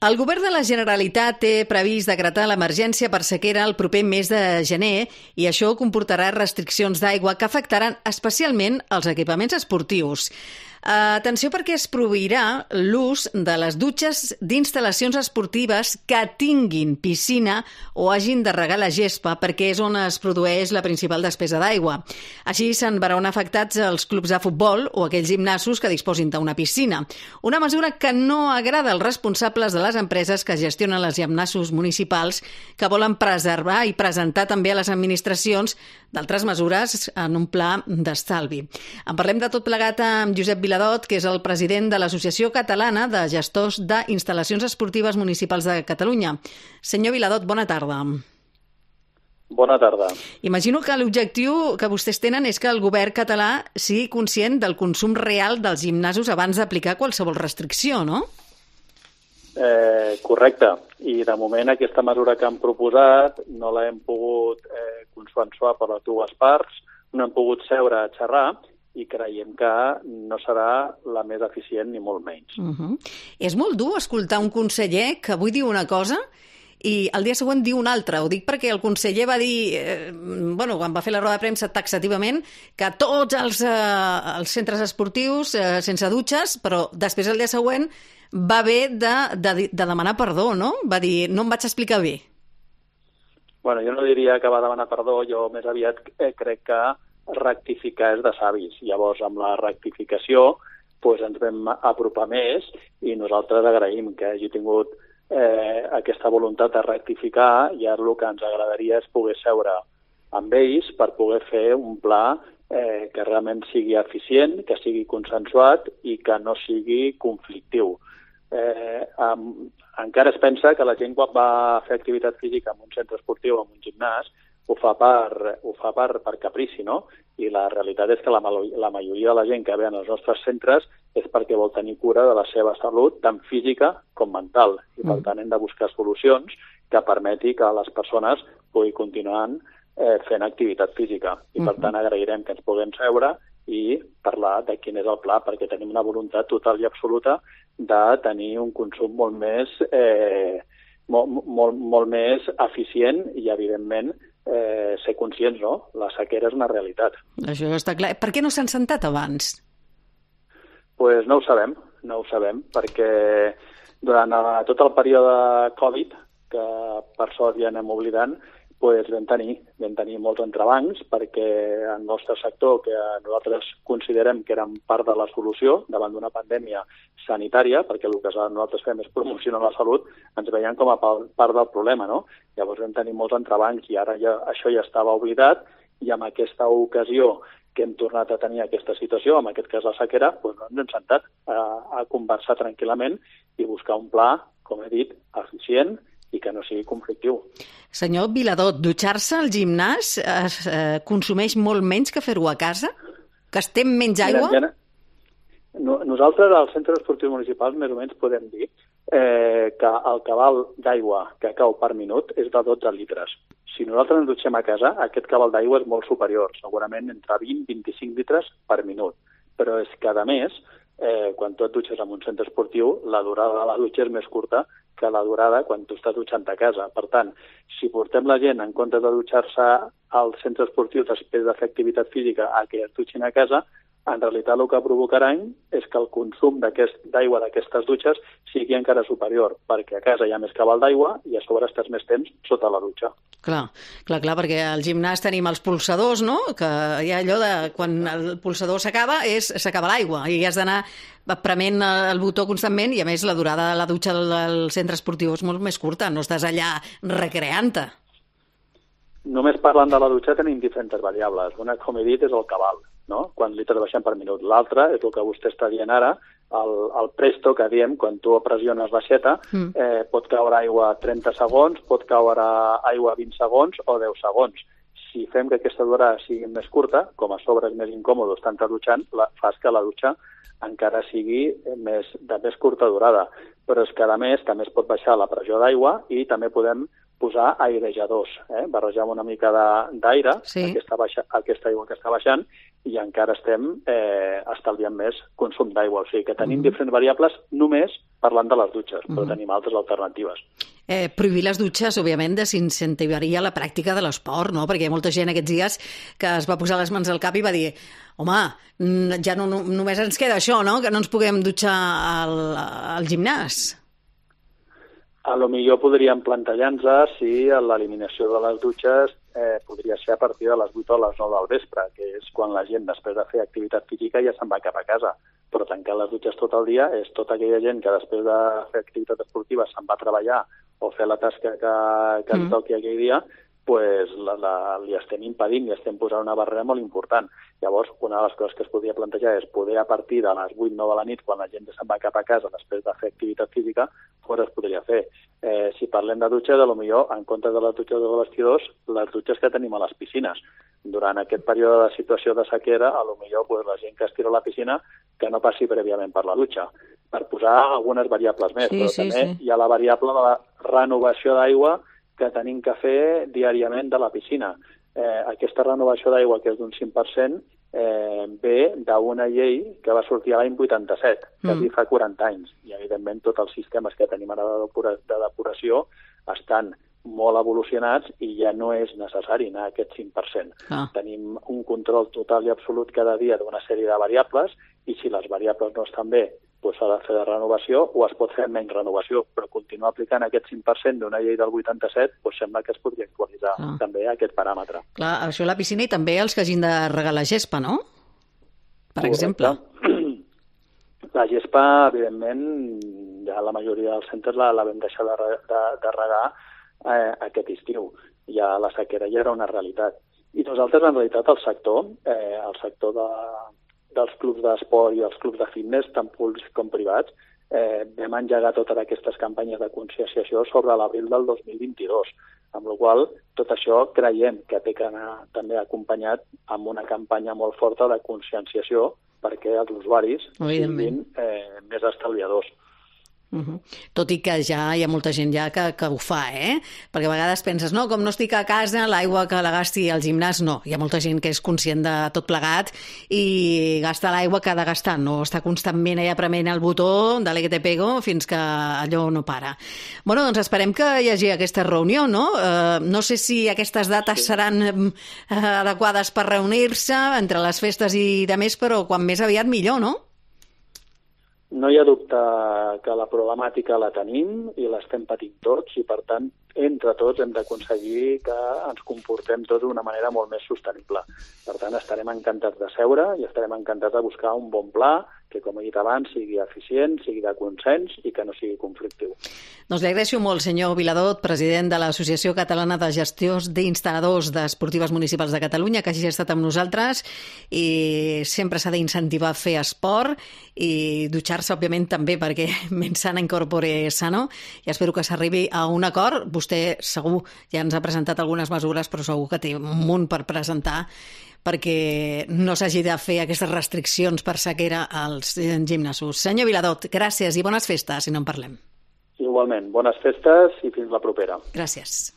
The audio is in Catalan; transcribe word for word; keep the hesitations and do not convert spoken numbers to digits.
El govern de la Generalitat té previst decretar l'emergència per sequera el proper mes de gener i això comportarà restriccions d'aigua que afectaran especialment els equipaments esportius. Atenció perquè es prohibirà l'ús de les dutxes d'instal·lacions esportives que tinguin piscina o hagin de regar la gespa perquè és on es produeix la principal despesa d'aigua. Així se'n veuran afectats els clubs de futbol o aquells gimnasos que disposin d'una piscina. Una mesura que no agrada als responsables de les empreses que gestionen els gimnasos municipals que volen preservar i presentar també a les administracions d'altres mesures en un pla d'estalvi. En parlem de tot plegat amb Josep Viladot, que és el president de l'Associació Catalana de Gestors d'Instal·lacions Esportives Municipals de Catalunya. Senyor Viladot, bona tarda. Bona tarda. Imagino que l'objectiu que vostès tenen és que el govern català sigui conscient del consum real dels gimnasos abans d'aplicar qualsevol restricció, no? Eh, correcte. I de moment aquesta mesura que han proposat no l'hem pogut eh, consensuar per les dues parts, no hem pogut seure a xerrar i creiem que no serà la més eficient ni molt menys. Uh-huh. És molt dur escoltar un conseller que avui diu una cosa i el dia següent diu una altra. Ho dic perquè el conseller va dir, eh, bueno, quan va fer la roda de premsa taxativament, que tots els, eh, els centres esportius eh, sense dutxes, però després el dia següent va haver de, de, de demanar perdó, no? Va dir, no em vaig explicar bé. Bueno, jo no diria que va demanar perdó, jo més aviat eh, crec que rectificar és de savis. Llavors, amb la rectificació doncs ens vam apropar més i nosaltres agraïm que hagi tingut eh, aquesta voluntat de rectificar i ara el que ens agradaria és poder seure amb ells per poder fer un pla eh, que realment sigui eficient, que sigui consensuat i que no sigui conflictiu. Eh, um, encara es pensa que la gent quan va fer activitat física en un centre esportiu o en un gimnàs ho fa per, ho fa per, per caprici, no? I la realitat és que la, la majoria de la gent que ve als nostres centres és perquè vol tenir cura de la seva salut, tant física com mental. I per tant hem de buscar solucions que permeti que les persones puguin continuar eh, fent activitat física. I per tant agrairem que ens puguem seure i parlar de quin és el pla, perquè tenim una voluntat total i absoluta de tenir un consum molt més, eh, molt, molt, molt més eficient i, evidentment, eh, ser conscients, no? La sequera és una realitat. Això està clar. Per què no s'han sentat abans? Pues no ho sabem, no ho sabem, perquè durant tot el període Covid, que per sort ja anem oblidant, pues vam tenir, vam tenir molts entrebancs perquè el nostre sector, que nosaltres considerem que érem part de la solució davant d'una pandèmia sanitària, perquè el que nosaltres fem és promocionar la salut, ens veiem com a part del problema, no? Llavors vam tenir molts entrebancs i ara ja, això ja estava oblidat i amb aquesta ocasió que hem tornat a tenir aquesta situació, en aquest cas la sequera, doncs no ens hem sentat a, a conversar tranquil·lament i buscar un pla, com he dit, eficient i que no sigui conflictiu. Senyor Viladot, dutxar-se al gimnàs es eh, consumeix molt menys que fer-ho a casa? Gastem menys aigua? Mira, no, nosaltres, als centres esportius municipals, més o menys podem dir eh, que el cabal d'aigua que cau per minut és de dotze litres. Si nosaltres ens dutxem a casa, aquest cabal d'aigua és molt superior, segurament entre vint i vint-i-cinc litres per minut. Però és que, a més, eh, quan tu et dutxes en un centre esportiu, la durada de la dutxa és més curta que la durada quan tu estàs dutxant a casa. Per tant, si portem la gent en comptes de dutxar-se al centre esportiu després de fer activitat física a que es dutxin a casa, en realitat el que provocaran és que el consum d'aigua d'aquestes dutxes sigui encara superior, perquè a casa hi ha més cabal d'aigua i a sobre estàs més temps sota la dutxa. Clar, clar, clar, perquè al gimnàs tenim els pulsadors, no? Que hi ha allò de quan el pulsador s'acaba, és s'acaba l'aigua i has d'anar prement el botó constantment i, a més, la durada de la dutxa del centre esportiu és molt més curta, no estàs allà recreant-te. Només parlant de la dutxa tenim diferents variables. Una, com he dit, és el cabal, no? Quants litres baixem per minut. L'altra és el que vostè està dient ara, el, el presto que diem, quan tu pressiones l'aixeta, mm. eh, pot caure aigua trenta segons, pot caure aigua vint segons o deu segons. Si fem que aquesta durada sigui més curta, com a sobre és més incòmode estar dutxant, la, fas que la dutxa encara sigui més, de més curta durada. Però és que, a més, també es pot baixar la pressió d'aigua i també podem posar airejadors, eh? barrejar una mica d'aire, sí. aquesta, baixa, aquesta aigua que està baixant, i encara estem eh, estalviant més consum d'aigua. O sigui que tenim uh-huh. diferents variables només parlant de les dutxes, però uh-huh. tenim altres alternatives. Eh, prohibir les dutxes, òbviament, desincentivaria la pràctica de l'esport, no? Perquè hi ha molta gent aquests dies que es va posar les mans al cap i va dir home, ja no, no, només ens queda això, no? Que no ens puguem dutxar al, al gimnàs. A lo millor podríem plantejar-nos si l'eliminació de les dutxes eh, podria ser a partir de les vuit o les nou del vespre, que és quan la gent, després de fer activitat física, ja se'n va cap a casa. Però tancar les dutxes tot el dia és tota aquella gent que després de fer activitat esportiva se'n va a treballar o fer la tasca que, que mm. li toqui aquell dia, pues la, la, li estem impedint, li estem posant una barrera molt important. Llavors, una de les coses que es podria plantejar és poder a partir de les vuit o nou de la nit, quan la gent ja se'n va cap a casa després de fer activitat física, fora es podria fer. Eh, si parlem de dutxes, potser, en comptes de les dutxes de vestidors, les dutxes que tenim a les piscines. Durant aquest període de situació de sequera, potser pues, la gent que es tira a la piscina que no passi prèviament per la dutxa, per posar algunes variables més, sí, però sí, també sí. hi ha la variable de la renovació d'aigua que tenim que fer diàriament de la piscina. Eh, aquesta renovació d'aigua, que és d'un cinc per cent, eh, ve d'una llei que va sortir l'any vuitanta-set, que mm. fa quaranta anys. I, evidentment, tots els sistemes que tenim ara de, depura, de depuració estan molt evolucionats i ja no és necessari anar a aquest cinc per cent. Ah. Tenim un control total i absolut cada dia d'una sèrie de variables i si les variables no estan bé, doncs s'ha de fer de renovació o es pot fer menys renovació, però continuar aplicant aquest cinc per cent d'una llei del vuitanta-set doncs sembla que es podria actualitzar ah. també aquest paràmetre. Clar, això a la piscina i també els que hagin de regar la gespa, no? Per Correcte. exemple. La gespa, evidentment, ja la majoria dels centres la, la vam deixar de, de, de regar eh, aquest estiu. Ja la sequera ja era una realitat. I nosaltres, en realitat, el sector, eh, el sector de dels clubs d'esport i els clubs de fitness, tant públics com privats, eh, vam engegar totes aquestes campanyes de conscienciació sobre l'abril del dos mil vint-i-dos, amb la qual tot això creiem que té que anar també acompanyat amb una campanya molt forta de conscienciació perquè els usuaris siguin eh, més estalviadors. Uh-huh. Tot i que ja hi ha molta gent ja que, que ho fa, eh? Perquè a vegades penses, no, com no estic a casa, l'aigua que la gasti al gimnàs, no. Hi ha molta gent que és conscient de tot plegat i gasta l'aigua que ha de gastar, no està constantment allà prement el botó de l'E que te pego fins que allò no para. Bueno, doncs esperem que hi hagi aquesta reunió, no? Uh, no sé si aquestes dates sí. seran uh, adequades per reunir-se entre les festes i de més, però quan més aviat millor, no? No hi ha dubte que la problemàtica la tenim i l'estem patint tots i, per tant, entre tots hem d'aconseguir que ens comportem tots d'una manera molt més sostenible. Per tant, estarem encantats de seure i estarem encantats de buscar un bon pla que, com he dit abans, sigui eficient, sigui de consens i que no sigui conflictiu. Doncs li agraeixo molt, senyor Viladot, president de l'Associació Catalana de Gestiors d'Instal·ladors d'Esportives Municipals de Catalunya, que hagi estat amb nosaltres i sempre s'ha d'incentivar a fer esport i dutxar-se, òbviament, també, perquè mens sana incorpore sano, i espero que s'arribi a un acord. Vostè segur ja ens ha presentat algunes mesures, però segur que té un munt per presentar perquè no s'hagi de fer aquestes restriccions per sequera als gimnasos. Senyor Viladot, gràcies i bones festes, si no en parlem. Igualment, bones festes i fins la propera. Gràcies.